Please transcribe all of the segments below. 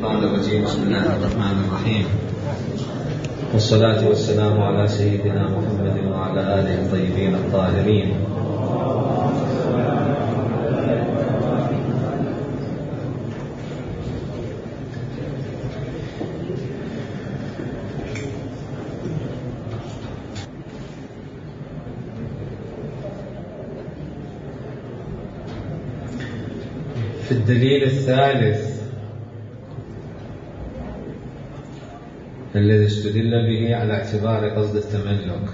الشيطان الرجيم. بسم الله الرحمن الرحيم، والصلاة والسلام على سيدنا محمد وعلى آله الطيبين الطاهرين. في الدليل الثالث الذي استدل به على اعتبار قصد التملك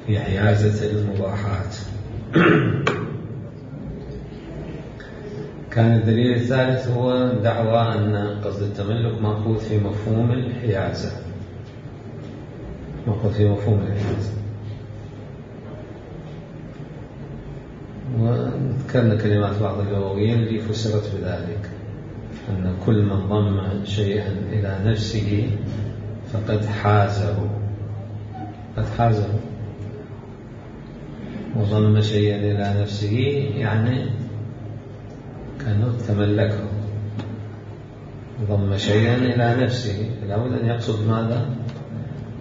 في حيازة المباحات، كان الدليل الثالث هو دعوى أن قصد التملك مأخوذ في مفهوم الحيازة، وذكرنا كلمات بعض اللغويين اللي فسرت بذلك، أن كل من ضم شيئا إلى نفسه فقد حازه، وضم شيئا إلى نفسه يعني كأنه تملكه. ضم شيئا إلى نفسه لابد أن يقصد ماذا؟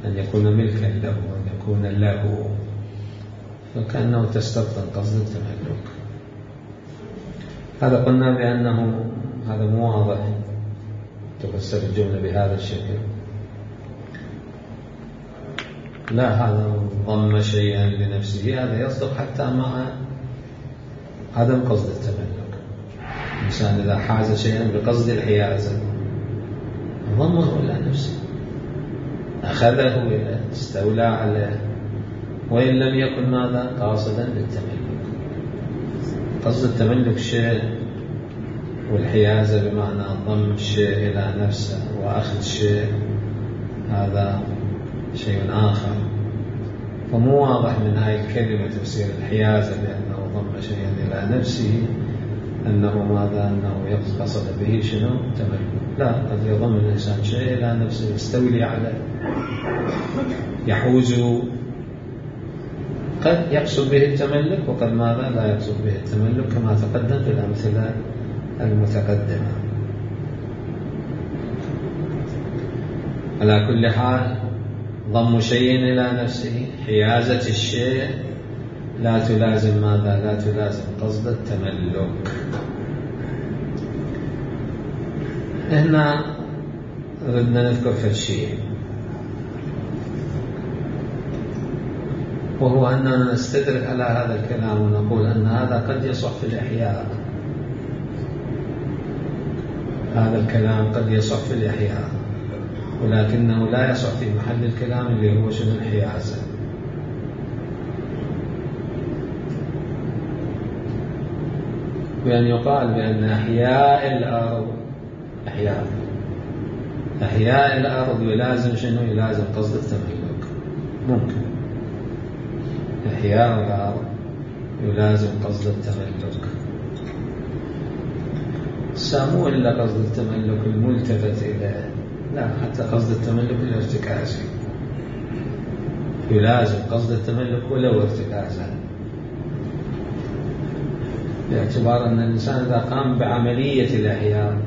أن يكون ملكا له، أن يكون له، فكأنه تستبطن قصد التملك. هذا قلنا بأنه هذا مو واضح تفسر الجملة بهذا الشكل، لا، هذا ضم شيئا لنفسه هذا يصدق حتى مع عدم قصد التملك. الإنسان إذا حاز شيئا بقصد الحيازة ضمه إلى نفسه، أخذه إليه، استولى عليه، وإن لم يكن ماذا؟ قاصدا للتملك. قصد التملك شيء، والحيازة بمعنى ضم الشيء إلى نفسه وأخذ شيء هذا شيء آخر. فمو واضح من هاي الكلمة تفسير الحيازة بأنه ضم شيئا إلى نفسه أنه ماذا؟ أنه قصد به شنو؟ تملك. لا، قد يضم الإنسان شيء إلى نفسه، يستولي عليه، يحوزه، قد يقصد به التملك وقد ماذا؟ لا يقصد به التملك، كما تقدم في الأمثلة المتقدمة. على كل حال ضم شيء إلى نفسه، حيازة الشيء لا تلازم ماذا؟ لا تلازم قصد التملك. هنا ردنا نذكر في الشيء، وهو أننا نستدرك على هذا الكلام ونقول أن هذا قد يصح في الإحياء، هذا الكلام قد يصح في الإحياء، ولكنه لا يصح في محل الكلام اللي هو شنو؟ الحيازة. بأن يقال بأن أحياء الأرض يلازم شنو؟ يلازم قصد التملك. ممكن إحياء الأرض يلازم قصد التملك، مو إلا قصد التملك الملتفت إليه، لا، حتى قصد التملك الارتكازي يلازم قصد التملك ولو ارتكازا، باعتبار أن الإنسان إذا قام بعملية الإحياء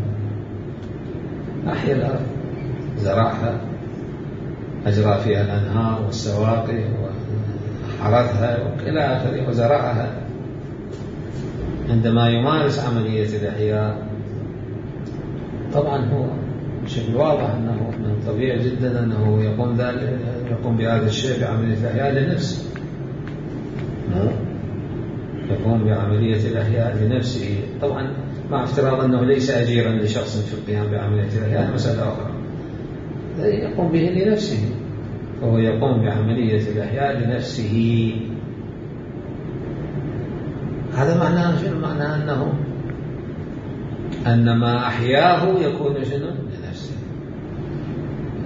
أحيا الأرض، زرعها، أجرى فيها الأنهار والسواقي وحرثها وإلى آخره وزرعها، عندما يمارس عملية الإحياء طبعا هو بشكل واضح أنه من طبيعي جدا أنه يقوم بهذا الشيء بعملية الإحياء لنفسه، يقوم بعملية الإحياء لنفسه، طبعا مع افتراض أنه ليس أجيرا لشخص في القيام بعملية الإحياء، مسألة أخرى، يقوم به لنفسه، فهو يقوم بعملية الإحياء لنفسه. هذا معناه شنو؟ معناه أنه أن ما أحياه يكون شنو؟ لنفسه،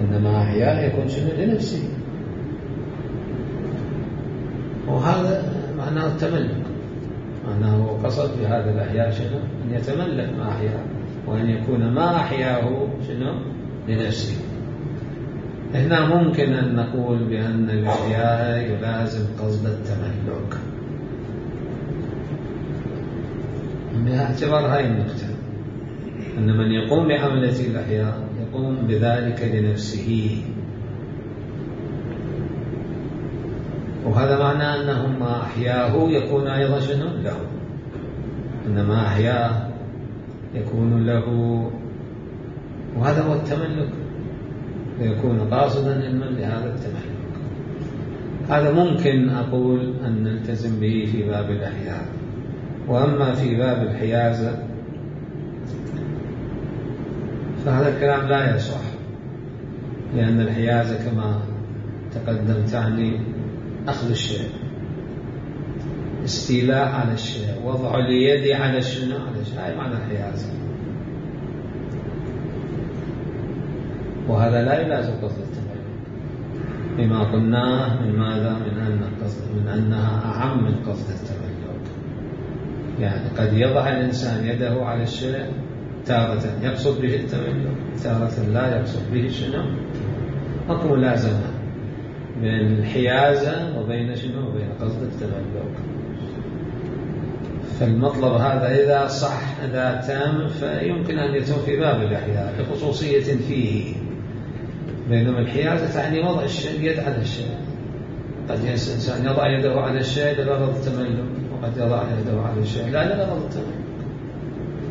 أن ما أحياه يكون شنو؟ لنفسه، وهذا معناه التملك، معناه قصد بهذا الأحياء شنو؟ أن يتملك ما أحياه، وأن يكون ما أحياه شنو؟ لنفسه. هنا ممكن أن نقول بأن الإحياء يلازم قصد التملك، باعتبار هاي النقطة. أن من يقوم بعملية الإحياء يقوم بذلك لنفسه، وهذا معنى أنه ما أحياه يكون أيضا شنو له، أن ما أحياه يكون له، وهذا هو التملك، ويكون قاصدا علما لهذا التملك. هذا ممكن أقول أن نلتزم به في باب الإحياء. وأما في باب الحيازة فهذا الكلام لا يصح، لأن الحيازة كما تقدم تعني أخذ الشيء، استيلاء على الشيء، وضع اليد على الشيء، هاي معنى الحيازة، وهذا لا يلازم قصد التملك بما قلناه من ماذا؟ من أنها أعم من قصد التملك. يعني قد يضع الإنسان يده على الشيء تارة يقصد به التملك، تارة لا يقصد به شنو؟ أكو ملازمة بين الحيازة وبين شنو؟ وبين قصد التملك. فالمطلب هذا إذا صح إذا تام فيمكن أن يتم في باب الإحياء لخصوصية فيه، بينما الحيازة تعني وضع الشيء اليد على الشيء. قد الإنسان يضع يده على الشيء لغرض التملك، وقد يضع يده على الشيء لا لغرض التملك،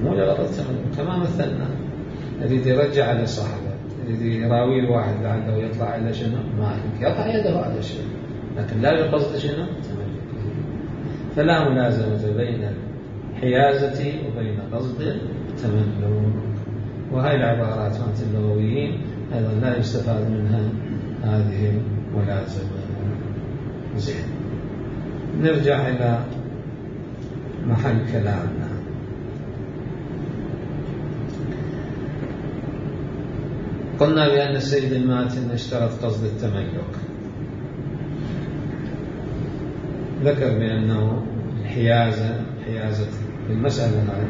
مو لغرض التملك. كما مثلنا يريد يرجع على صاحبه، يريد يراوي الواحد لعله يطلع إلى شنو؟ مالك، يضع يده على الشيء لكن لا بقصد شنو؟ التملك. فلا ملازمة بين الحيازة وبين قصد التملك. وهي العبارات مالت اللغويين أيضا لا يستفاد منها هذه الملازمة. زين، نرجع إلى محل كلامنا. قلنا بأن السيد الماتن اشترط قصد التملك، ذكر بأنه الحيازة المسألة هذه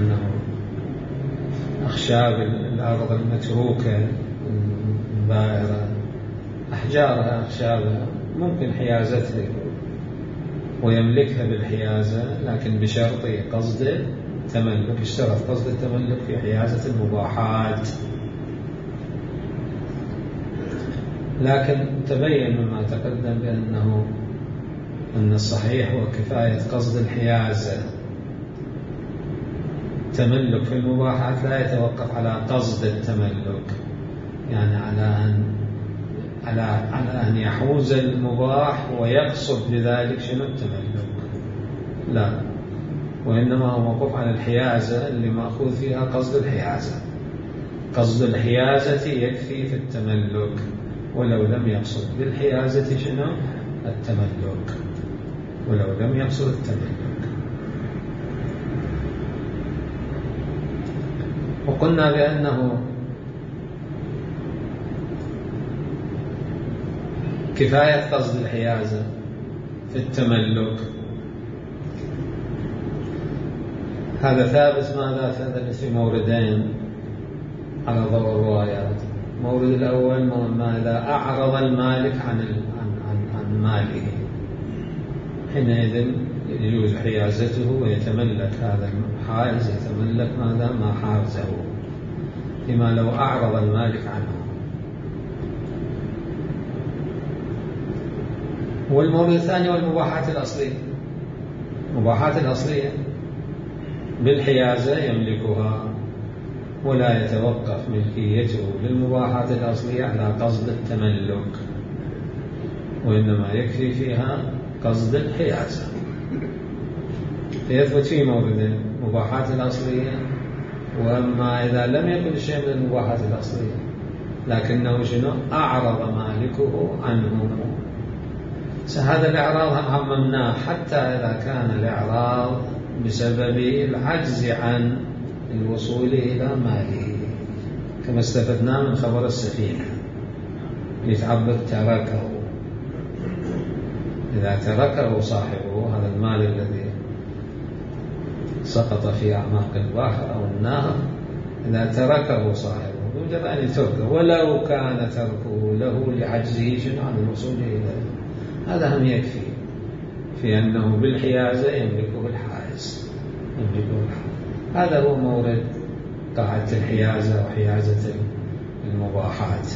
أنه أخشاب الأرض المتروكة البائرة أحجارها أخشابها ممكن حيازتها ويملكها بالحيازة، لكن بشرط قصد التملك. اشترط قصد التملك في حيازة المباحات، لكن تبين مما تقدم بأنه أن الصحيح هو كفاية قصد الحيازة. التملك في المباحات لا يتوقف على قصد التملك، يعني على أن يحوز المباح ويقصد بذلك شنو؟ التملك، لا، وإنما هو موقوف على الحيازة اللي مأخوذ فيها قصد الحيازة. قصد الحيازة يكفي في التملك ولو لم يقصد بالحيازة شنو؟ التملك، ولو لم يقصد التملك. وقلنا بأنه كفاية قصد الحيازة في التملك هذا ثابت ماذا؟ ثابت في موردين على ضوء الروايات. المورد الأول ما إذا أعرض المالك عن ماله، حينئذ يجوز حيازته ويتملك هذا الحائز، يتملك ماذا؟ ما حازه، لما لو أعرض المالك عنه. والمورد الثاني والمباحات الأصلية. المباحات الأصلية بالحيازة يملكها ولا يتوقف ملكيته للمباحات الأصلية على قصد التملك، وإنما يكفي فيها قصد الحيازة. فيثبت في موردين: مباحات الأصلية، وأما إذا لم يكن شيء من المباحات الأصلية لكنه شنو؟ أعرض مالكه عنه. هذا الإعراض عممناه حتى إذا كان الإعراض بسبب العجز عن الوصول إلى ماله، كما استفدنا من خبر السفينة يتعبد تركه. إذا تركه صاحبه هذا المال الذي سقط في أعماق البحر أو النهر، إذا تركه صاحبه يوجب أن يتركه ولو كان تركه له لعجزه عن الوصول إليه. هذا هم يكفي في أنه بالحيازة يملكه الحائز. هذا هو مورد قاعدة الحيازة وحيازة المباحات.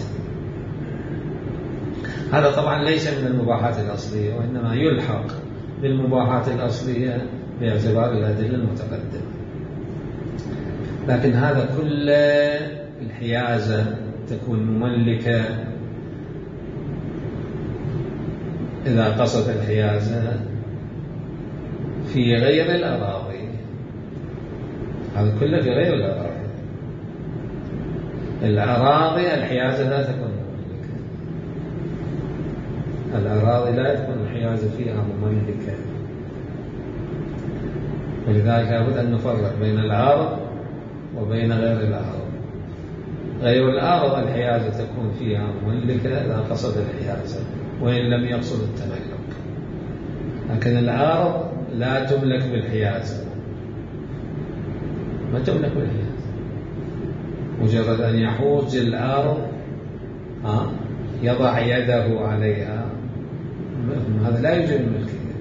هذا طبعا ليس من المباحات الأصلية، وإنما يلحق بالمباحات الأصلية باعتبار الأدلة المتقدمة. لكن هذا كل الحيازة تكون مملكة إذا قصد الحيازة في غير الأراضي. هذا كله في غير الأراضي. الأراضي الحيازة لا تكون مملكة، الأراضي لا تكون الحيازة فيها مملكة، ولذلك لابد أن نفرق بين الأرض وبين غير الأرض. غير الأرض الحيازة تكون فيها مملكة إذا قصد الحيازة وإن لم يقصد التملك، لكن الأرض لا تملك بالحيازة، ما تملك بالحيازة. مجرد أن يحوز الأرض يضع يده عليها، هذا لا يوجد الملكية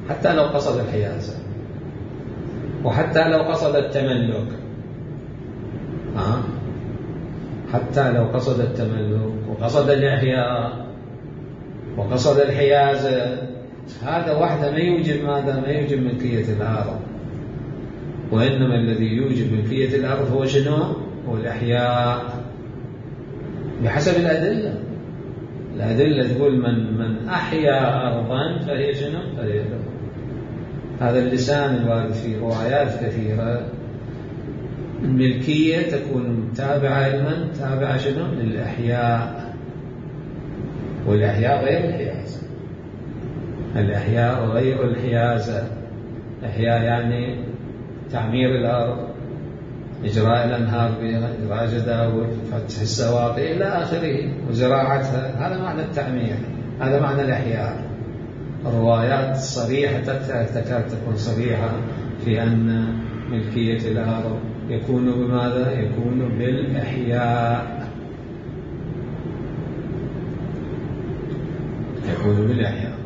حتى لو قصد الحيازة، وحتى لو قصد التملك، حتى لو قصد التملك وقصد الإحياء وقصد الحيازة، هذا وحده ما يوجب ماذا؟ ما يوجب ملكية الأرض. وإنما الذي يوجب ملكية الأرض هو شنو؟ هو الإحياء بحسب الأدلة. الأدلة تقول من أحيا أرضا فهي شنو؟ فهي له. هذا اللسان الوارد في روايات كثيرة. الملكية تكون تابعة لمن؟ تابعة شنو؟ للإحياء، والإحياء غير الحيازة. الإحياء غير الحيازة. إحياء يعني تعمير الأرض، إجراء الأنهار بها، إجراء جداول، فتح السواقي إلى آخره، وزراعتها. هذا معنى التعمير، هذا معنى الإحياء. الروايات صريحة تكاد تكون صريحة في أن ملكية الأرض يكون بماذا؟ يكون بالإحياء، يكون بالإحياء.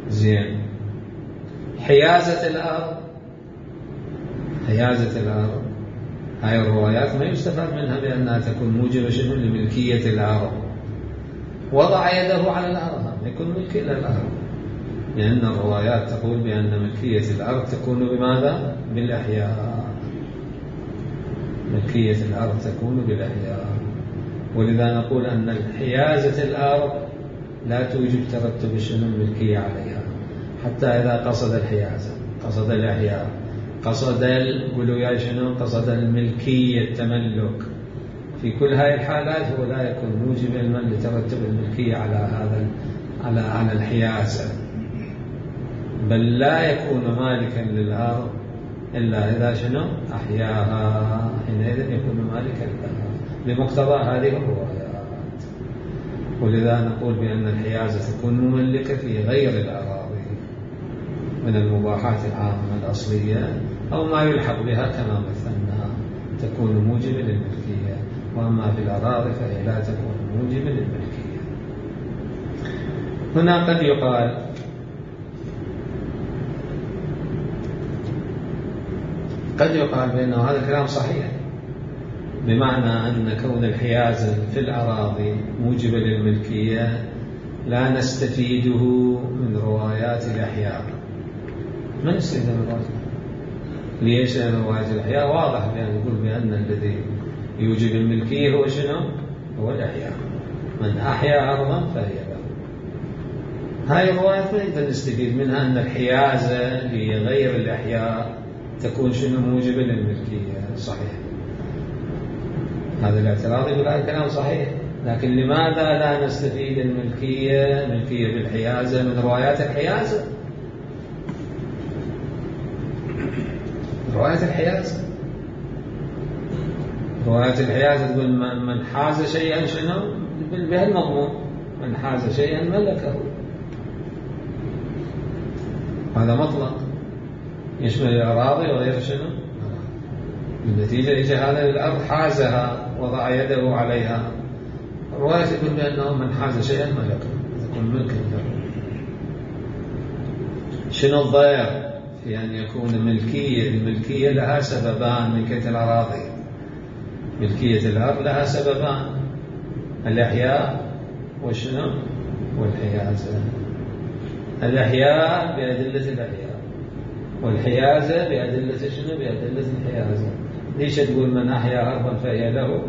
زين. حيازة الأرض، حيازة الأرض هاي الروايات ما يستفاد منها بأنها تكون موجبة شنو؟ لملكية الأرض. وضع يده على الأرض يكون ملك للأرض، لأن الروايات تقول بأن ملكية الأرض تكون بماذا؟ بالإحياء. ملكية الأرض تكون بالإحياء. ولذا نقول أن حيازة الأرض لا توجب ترتب شنو؟ الملكية عليها، حتى إذا قصد الحيازة، قصد الإحياء، قصد قولوا شنو؟ قصد الملكية، التملك. في كل هذه الحالات هو لا يكون موجبا من لترتب الملكية على هذا على الحيازة، بل لا يكون مالكا للأرض إلا إذا شنو؟ أحياها، حينئذ يكون مالكا لها بمقتضى هذه الروايات. ولذا نقول بأن الحيازة تكون مملكة في غير الأراضي من المباحات العامة الأصلية أو ما يلحق بها كما مثلنا، تكون موجبة للملكية. وأما في الأراضي فهي لا تكون موجبة للملكية. هنا قد يقال بأنه هذا الكلام صحيح، بمعنى أن كون الحيازة في الأراضي موجبة للملكية لا نستفيده من روايات الإحياء. ما نستفيد من روايات ليش؟ لأن روايات الإحياء واضح بأن يقول بأن الذي يوجب الملكية هو شنو؟ هو الإحياء. من أحيا أرضا فهي له. هاي الروايات ما نقدر نستفيد منها أن الحيازة لغير الإحياء تكون شنو؟ موجبة للملكية. صحيح، هذا الاعتراض يقول هذا الكلام صحيح، لكن لماذا لا نستفيد الملكية بالحيازة من روايات الحيازة؟ روايات الحيازة تقول من حاز شيئا شنو؟ بهالمضمون، من حاز شيئا ملكه. هذا مطلق يشمل الأراضي وغير شنو؟ النتيجة إجا هذا الأرض حازها وضع يده عليها. الرواية تقول بأنه من حاز شيئا ملكه، يكون ملكا له. شنو الضير في أن يكون الملكية لها سببان ملكية الأراضي؟ ملكية الأرض لها سببان: الإحياء وشنو؟ والحيازة. الإحياء بأدلة الإحياء، والحيازة بأدلة شنو؟ بأدلة الحيازة. ليش تقول من أحيا أرضا فهي له؟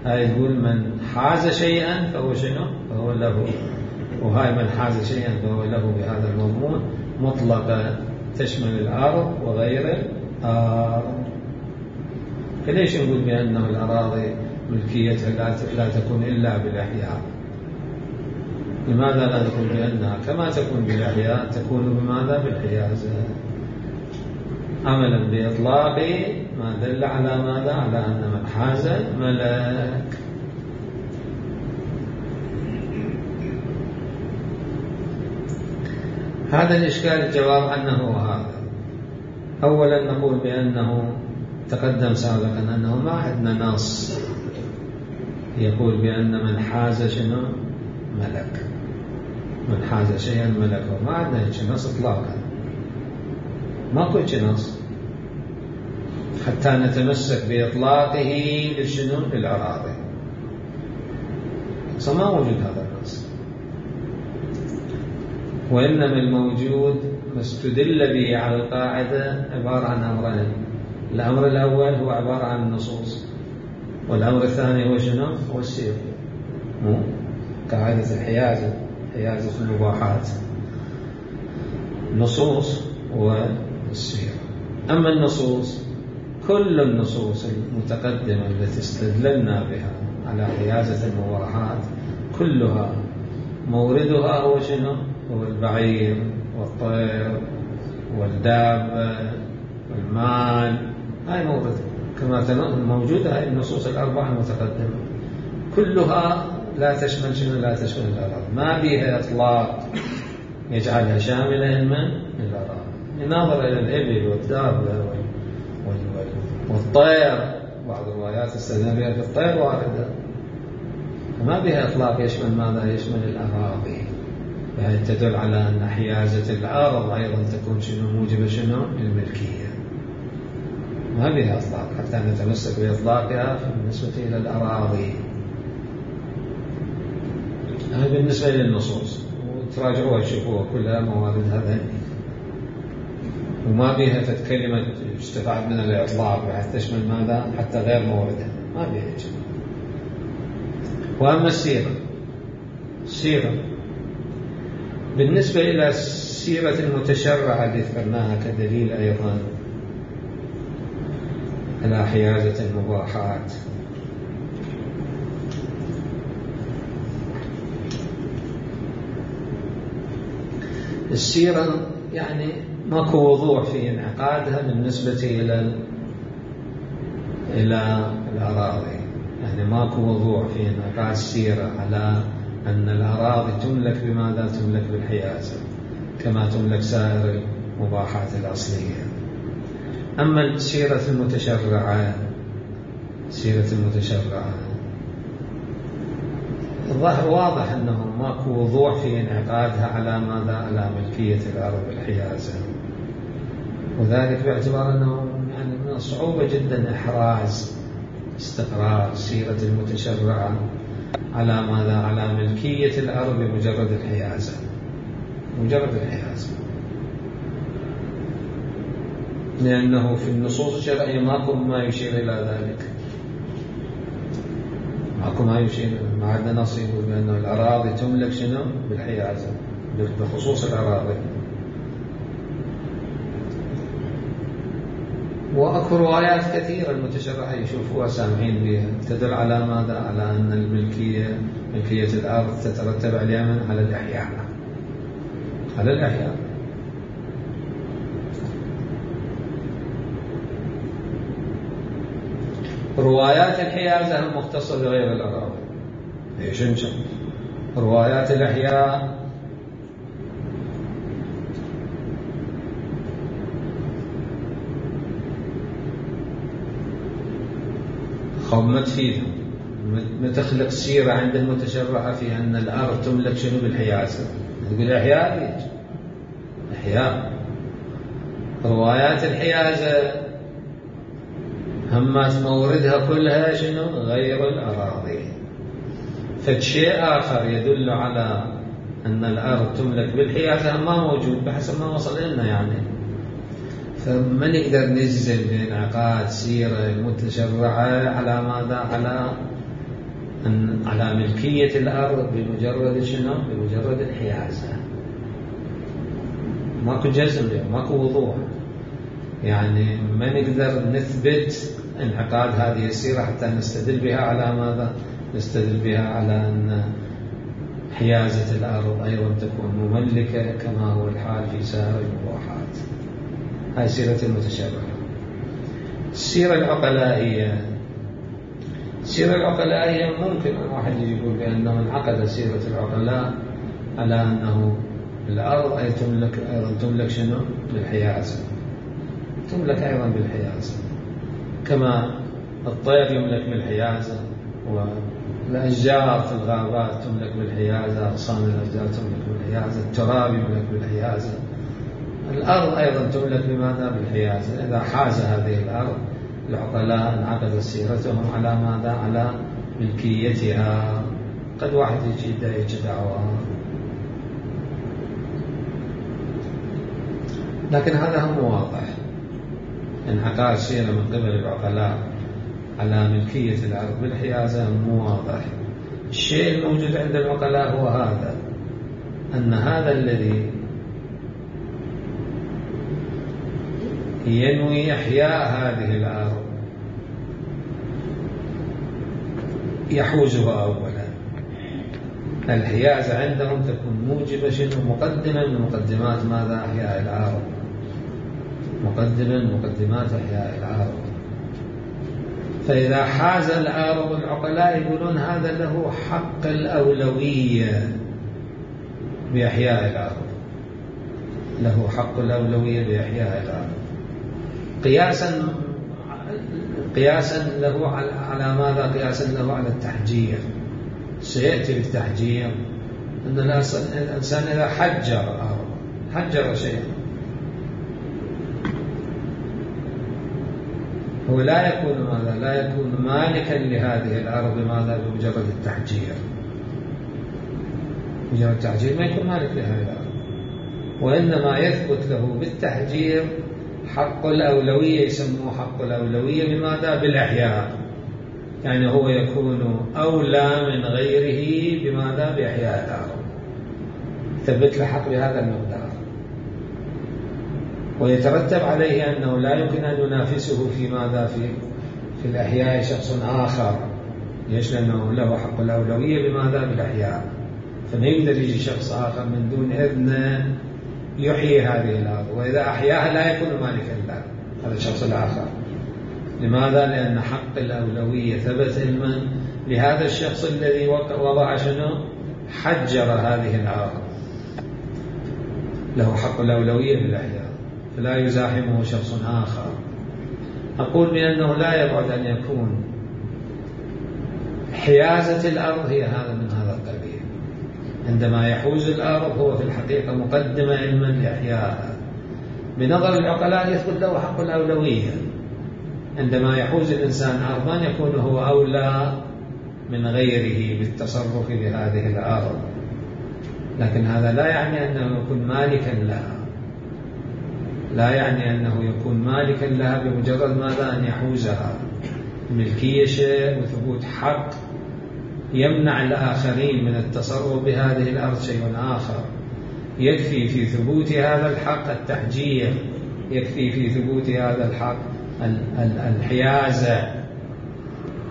هاي تقول من حاز شيئا فهو شنو؟ فهو له. وهاي من حاز شيئا فهو له بهذا المضمون مطلقة، تشمل الأرض وغير الأرض. فليش نقول بأنه الأراضي ملكيتها لا تكون إلا بالإحياء؟ لماذا لا نقول بأنها كما تكون بالإحياء تكون بماذا؟ بالحيازة، عملا بإطلاق ما دل على ماذا؟ على أن من حاز ملك. هذا الإشكال الجواب عنه هو هذا. أولا نقول بأنه تقدم سابقا أنه ما عندنا نص يقول بأن من حاز شنو؟ ملك. من حاز شيئا ملكه، ما عندنا هيك نص إطلاقا، ماكو هيك نص حتى نتمسك بإطلاقه لشنو؟ للأراضي. فما موجود هذا النص، وإنما الموجود ما استدل به على القاعدة عبارة عن أمرين: الأمر الأول هو عبارة عن النصوص، والأمر الثاني هو شنو؟ هو السير. قاعدة الحيازة، حيازة المباحات، النصوص والسير. أما النصوص، كل النصوص المتقدمة التي استدللنا بها على حيازة المباحات كلها موردها هو شنو؟ هو البعير والطير والدابة والمال. هاي مورد كما موجودة. هاي النصوص الأربعة المتقدمة كلها لا تشمل شنو؟ لا تشمل الأراضي، ما بها إطلاق يجعلها شاملة من الأراضي. ننظر إلى الإبل والدابة والطير، بعض الروايات استدل بها بالطير واردة، وما بها إطلاق يشمل ماذا؟ يشمل الأراضي. يعني تدل على أن حيازة الأرض أيضا تكون شنو؟ موجبة شنو؟ للملكية. ما بها إطلاق حتى نتمسك بإطلاقها بالنسبة إلى الأراضي. هذا بالنسبة للنصوص، وتراجعوها تشوفوها كلها مواردها ذهنية، وما بها كلمة استفاد من الإطلاق بحيث تشمل ماذا؟ حتى غير موردها، ما بها شيء. وأما السيرة بالنسبة إلى السيرة المتشرعة اللي ذكرناها كدليل أيضا على حيازة المباحات، السيرة يعني ماكو وضوح في انعقادها بالنسبة إلى الأراضي. يعني ماكو وضوح في انعقاد السيرة على أن الأراضي تملك بماذا؟ تملك بالحيازة كما تملك سائر المباحات الأصلية. أما السيرة المتشرعة، الظاهر واضح أنه ماكو وضوح في انعقادها على ماذا؟ على ملكية الأرض بالحيازة، وذلك باعتبار أنه يعني من الصعوبة جدا إحراز استقرار السيرة المتشرعة على ماذا؟ على ملكية الأرض بمجرد الحيازة، مجرد الحيازة، لأنه في النصوص الشرعية ماكو ما يشير إلى ذلك. ماكو ما يشير، ما عندنا نص يقول بأن الأراضي تملك شنو؟ بالحيازة، بخصوص الأراضي. وأكو روايات كثيرة المتشرعة يشوفوها سامعين بها تدل على ماذا؟ على أن ملكية الأرض تترتب عليها على الإحياء، على الإحياء. روايات الحيازة المختصة بغير الأراضي. ليش انشأ روايات الإحياء ما تفيدهم، ما تخلق سيرة عند المتشرعة في أن الأرض تملك شنو؟ بالحيازة. تقول إحياء، إحياء روايات الحيازة همات موردها كلها شنو؟ غير الأراضي. فالشيء آخر يدل على أن الأرض تملك بالحيازة ما موجود بحسب ما وصل لنا يعني. فما نقدر نجزم بانعقاد سيرة متشرعة على ماذا؟ على ملكية الأرض بمجرد شنو؟ بمجرد الحيازة. ماكو جزم، ماكو وضوح، يعني ما نقدر نثبت انعقاد هذه السيرة حتى نستدل بها على ماذا؟ نستدل بها على أن حيازة الأرض أيضا تكون مملكة كما هو الحال في سائر المباحات. هاي سيرة المتشرعة. السيرة العقلائية ممكن الواحد يقول بأنه انعقد سيرة العقلاء على أنه الأرض أيضا تملك شنو؟ بالحيازة، تملك أيضا بالحيازة، كما الطير يملك بالحيازة، والأشجار في الغابات تملك بالحيازة، أغصان الأشجار تملك بالحيازة، التراب يملك بالحيازة. الأرض أيضا تملك بماذا؟ بالحيازة. إذا حاز هذه الأرض العقلاء انعقدت سيرتهم على ماذا؟ على ملكيتها. قد واحد يجي دعوة، لكن هذا هم واضح. انعقاد سيرة من قبل العقلاء على ملكية الأرض بالحيازة مو واضح. الشيء الموجود عند العقلاء هو هذا، أن هذا الذي ينوي إحياء هذه الأرض يحوزها أولا. الحيازة عندهم تكون موجبة شنو؟ مقدمة من مقدمات ماذا؟ إحياء الأرض، مقدمة من مقدمات إحياء الأرض. فإذا حاز الأرض العقلاء يقولون هذا له حق الأولوية بإحياء الأرض، له حق الأولوية بإحياء الأرض، قياسا له على ماذا؟ قياسا له على التحجير. سيأتي بالتحجير أن الإنسان إذا حجر شيئا هو لا يكون ماذا؟ لا يكون مالكا لهذه الأرض بماذا؟ بمجرد التحجير. مجرد التحجير ما يكون مالك لهذه الأرض، وإنما يثبت له بالتحجير حق الأولوية. يسموه حق الأولوية بماذا؟ بالإحياء. يعني هو يكون أولى من غيره بماذا؟ بإحياء الأرض. ثبت له حق بهذا المقدار، ويترتب عليه أنه لا يمكن أن ينافسه في ماذا؟ في الإحياء شخص آخر. ليش؟ لأنه له حق الأولوية بماذا؟ بالإحياء. فما يقدر يجي شخص آخر من دون إذن يحيي هذه الأرض، وإذا أحياها لا يكون مالكا لها هذا الشخص الآخر. لماذا؟ لأن حق الأولوية ثبت علما لهذا الشخص الذي وضع شنو؟ حجر هذه الأرض، له حق الأولوية بالإحياء، فلا يزاحمه شخص آخر. أقول بأنه لا يبعد أن يكون حيازة الأرض هي هذا من هذا القبيل. عندما يحوز الأرض هو في الحقيقة مقدمة علما لإحيائها. بنظر العقلاء يثبت له حق الأولوية. عندما يحوز الإنسان أرضا يكون هو أولى من غيره بالتصرف بهذه الأرض، لكن هذا لا يعني أنه يكون مالكا لها، لا يعني أنه يكون مالكا لها بمجرد ماذا؟ أن يحوزها. الملكية شيء وثبوت حق يمنع الآخرين من التصرف بهذه الأرض شيء آخر. يكفي في ثبوت هذا الحق التحجير، يكفي في ثبوت هذا الحق الحيازة،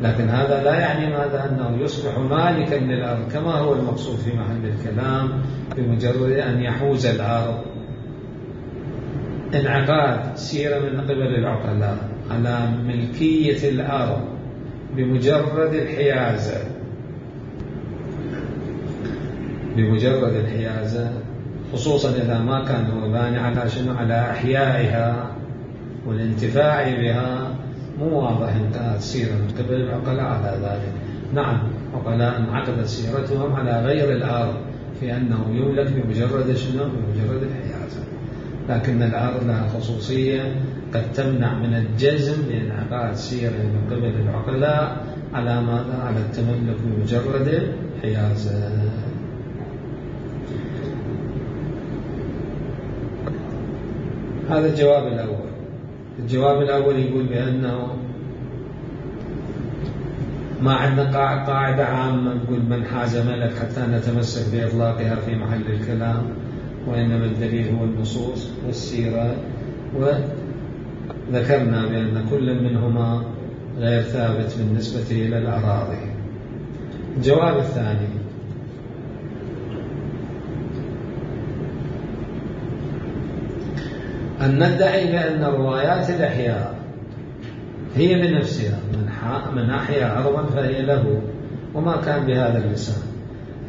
لكن هذا لا يعني ماذا؟ أنه يصبح مالكا للأرض كما هو المقصود في محل الكلام بمجرد أن يحوز الأرض. انعقاد سيرة من قبل العقلاء على ملكية الأرض بمجرد الحيازة، بمجرد الحيازة، خصوصا إذا ما كان هو باني على شنو؟ على إحيائها والانتفاع بها. مو واضح انتهت سيرة من قبل العقلاء على ذلك. نعم، عقلاء انعقدت سيرتهم على غير الأرض في أنه يملك بمجرد شنو؟ بمجرد الحيازة، لكن الأرض لها خصوصية قد تمنع من الجزم بانعقاد سيرة من قبل العقلاء على ماذا؟ على التملك بمجرد الحيازة. هذا الجواب الأول. الجواب الأول يقول بأنه ما عندنا قاعدة عامة تقول من حاز ملك حتى نتمسك بإطلاقها في محل الكلام، وإنما الدليل هو النصوص والسيرة، وذكرنا بأن كل منهما غير ثابت بالنسبة إلى الأراضي. الجواب الثاني: أن ندعي بأن روايات الإحياء هي بنفسها من أحيا أرضا فهي له، وما كان بهذا اللسان،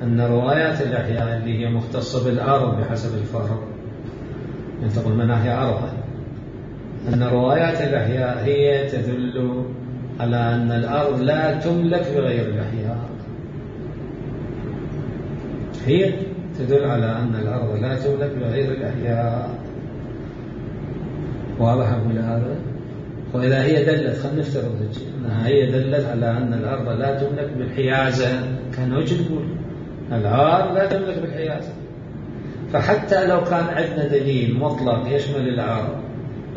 أن روايات الإحياء اللي هي مختصة بالأرض بحسب الفرق، يعني تقول من أحيا أرضا، أن روايات الإحياء هي تدل على أن الأرض لا تملك بغير الإحياء، هي تدل على أن الأرض لا تملك بغير الإحياء. واضح أقول هذا؟ وإذا هي دلت، خلينا نفترض أنها هي دلت على أن الأرض لا تملك بالحيازة، كان وجه تقول الأرض لا تملك بالحيازة، فحتى لو كان عندنا دليل مطلق يشمل الأرض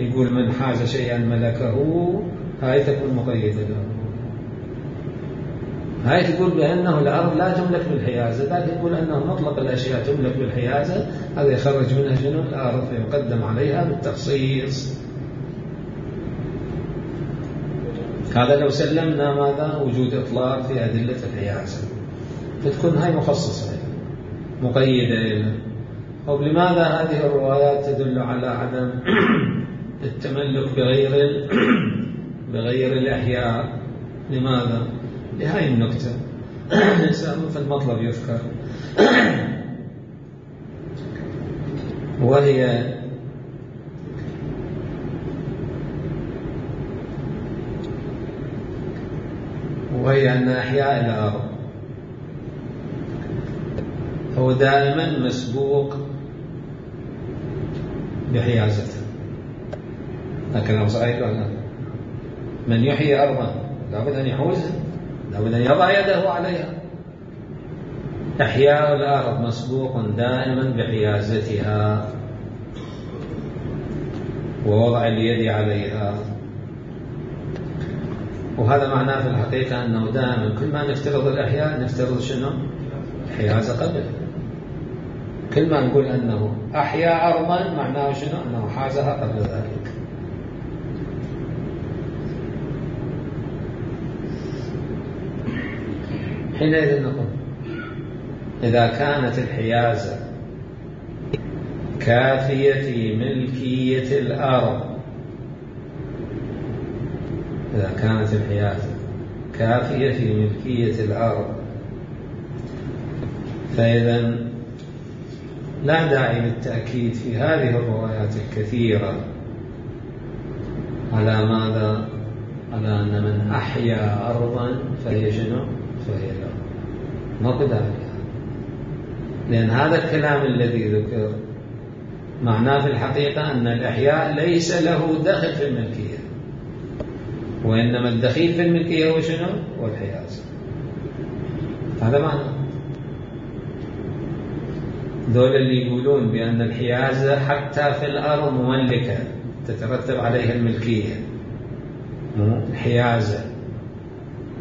يقول من حاز شيئا ملكه، هاي تكون مقيدة له، هاي تقول بأنه الأرض لا تملك بالحيازة، لكن تقول أنه مطلق الأشياء تملك بالحيازة، هذا يخرج منها شنو؟ الأرض، فيقدم عليها بالتخصيص. هذا لو سلمنا ماذا؟ وجود إطلاق في أدلة الحيازة، فتكون هاي مخصصة مقيدة. طب لماذا هذه الروايات تدل على عدم التملك بغير الأحياء؟ لماذا؟ لهذه النكتة في المطلب يذكر، وهي أن أحياء الأرض هو دائما مسبوق بحيازته. لكن صحيح ولا لا؟ من يحيي أرضا لابد أن يحوزها، لابد أن يضع يده عليها. إحياء الأرض مسبوق دائما بحيازتها ووضع اليد عليها، وهذا معناه في الحقيقة أنه دائما كل ما نفترض الإحياء نفترض شنو؟ الحيازة قبل. كل ما نقول أنه أحيا أرضا معناه شنو؟ أنه حازها قبل ذلك. حينئذ نقول إذا كانت الحيازة كافية في ملكية الأرض، إذا كانت الحيازة كافية في ملكية الأرض، فإذا لا داعي للتأكيد في هذه الروايات الكثيرة على ماذا؟ على أن من أحيا أرضا فهي شنو؟ فهي له. ما قدام، لأن هذا الكلام الذي ذكر معناه في الحقيقة أن الإحياء ليس له دخل في الملكية، وإنما الدخيل في الملكية هو شنو؟ والحيازة. هذا معنى دول اللي يقولون بأن الحيازة حتى في الأرض مملكة تترتب عليها الملكية، الحيازة،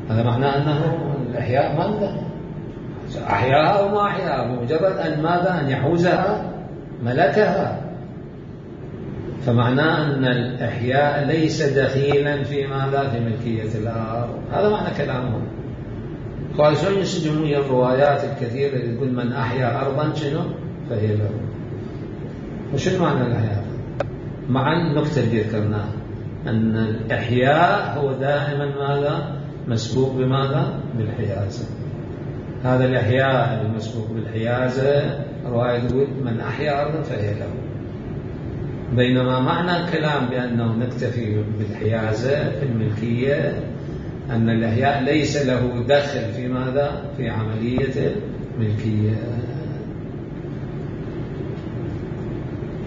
هذا معناه أنه الإحياء ما عنده أحياها أو ما أحياها، بمجرد أن ماذا؟ أن يحوزها ملكها. فمعناه أن الإحياء ليس دخيلا في ماذا؟ في ملكية الأرض. هذا معنى كلامهم. قال شو ينسجمون الروايات الكثيرة اللي تقول من أحيا أرضا شنو؟ فهي له. وشو معنى الإحياء؟ مع النقطة اللي ذكرناها أن الإحياء هو دائما ماذا؟ مسبوق بماذا؟ بالحيازة. هذا الإحياء المسبوق بالحيازة رواية تقول من أحيا أرضا فهي له، بينما معنى الكلام بأنه نكتفي بالحيازة في الملكية أن الإحياء ليس له دخل في ماذا؟ في عملية الملكية.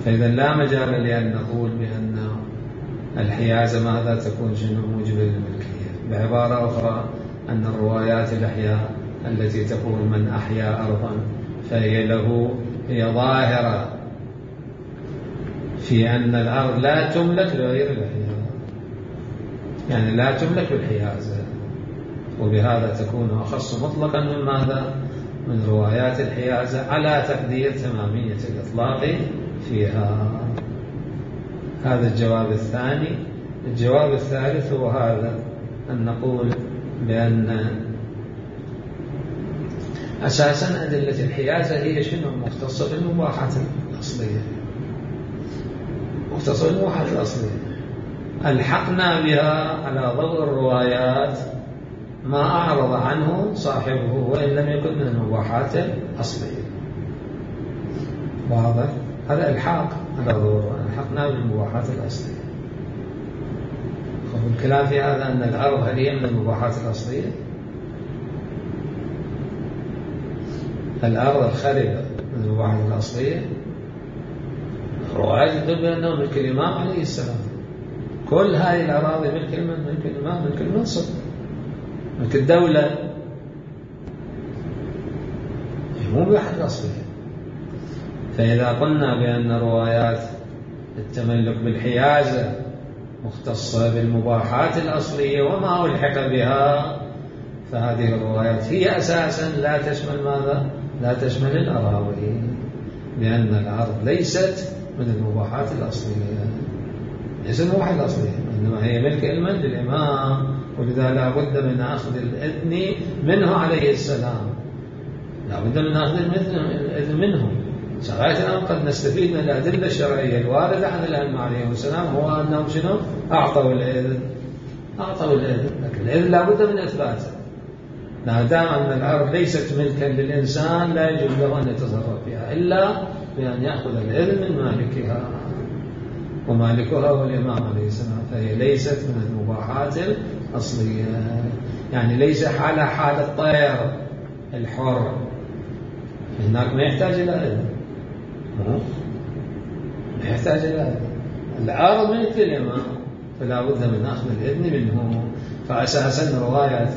فإذا لا مجال لأن نقول بأن الحيازة ماذا تكون شنو موجبة للملكية. بعبارة أخرى أن الروايات الأحياء التي تقول من أحيا أرضا فهي له، هي ظاهرة في أن الأرض لا تملك لغير الأحياء، يعني لا تملك بالحيازة، وبهذا تكون أخص مطلقا من ماذا؟ من روايات الحيازة على تقدير تمامية الإطلاق فيها. هذا الجواب الثاني. الجواب الثالث هو هذا، أن نقول بأن أساسا أدلة الحيازة هي شنو؟ مختصة بالمباحات الأصلية، مختصة بالمباحات الأصلية، ألحقنا بها على ضوء الروايات ما أعرض عنه صاحبه وإن لم يكن من المباحات الأصلية. واضح؟ هذا الحاق على ضوء، ألحقنا بالمباحات الأصلية. الكلام في هذا أن الأرض هل هي من المباحات الأصلية؟ الأرض الخربة من المباحات الأصلية؟ الروايات تدل بأنه ملك الإمام عليه السلام. كل هذه الأراضي ملك الإمام، ملك الإمام، ملك المنصب، ملك الدولة، مو مباحات الأصلية. فإذا قلنا بأن روايات التملك بالحيازة مختصة بالمباحات الأصلية وما ألحق بها، فهذه الروايات هي أساسا لا تشمل ماذا؟ لا تشمل الأراضي، لأن الأرض ليست من المباحات الأصلية، ليست المباحات الأصلية، إنما هي ملك للإمام، ولذا لا بد من أخذ الإذن منه عليه السلام، لا بد من أخذ الإذن منه. شرائعنا قد نستفيد من الأدلة الشرعية الواردة عن الأئمة عليهم السلام هو أنهم شنو؟ أعطوا الإذن، أعطوا الإذن، لكن الإذن لا بد من إثباته. ما دام أن الأرض ليست ملكا للإنسان لا يجوز له أن يتصرف فيها إلا بأن يأخذ الإذن من مالكها، ومالكها هو الإمام عليه السلام، فهي ليست من المباحات الأصلية. يعني ليس على حال الطير الحر، هناك ما يحتاج إلى إذن، ما يحتاج إلى إذن. الأرض ملك الإمام فلا بد من أخذ الإذن منه. فأساسا رواية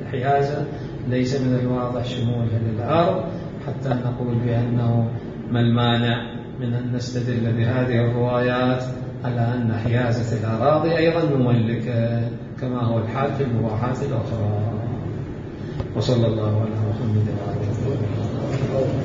الحيازة ليس من الواضح شمولها للأرض حتى نقول بأنه ما المانع من أن نستدل بهذه الروايات على أن حيازة الأراضي أيضا مملكة كما هو الحال في المباحات الأخرى. وصلى الله على محمد وعلى آله وصحبه.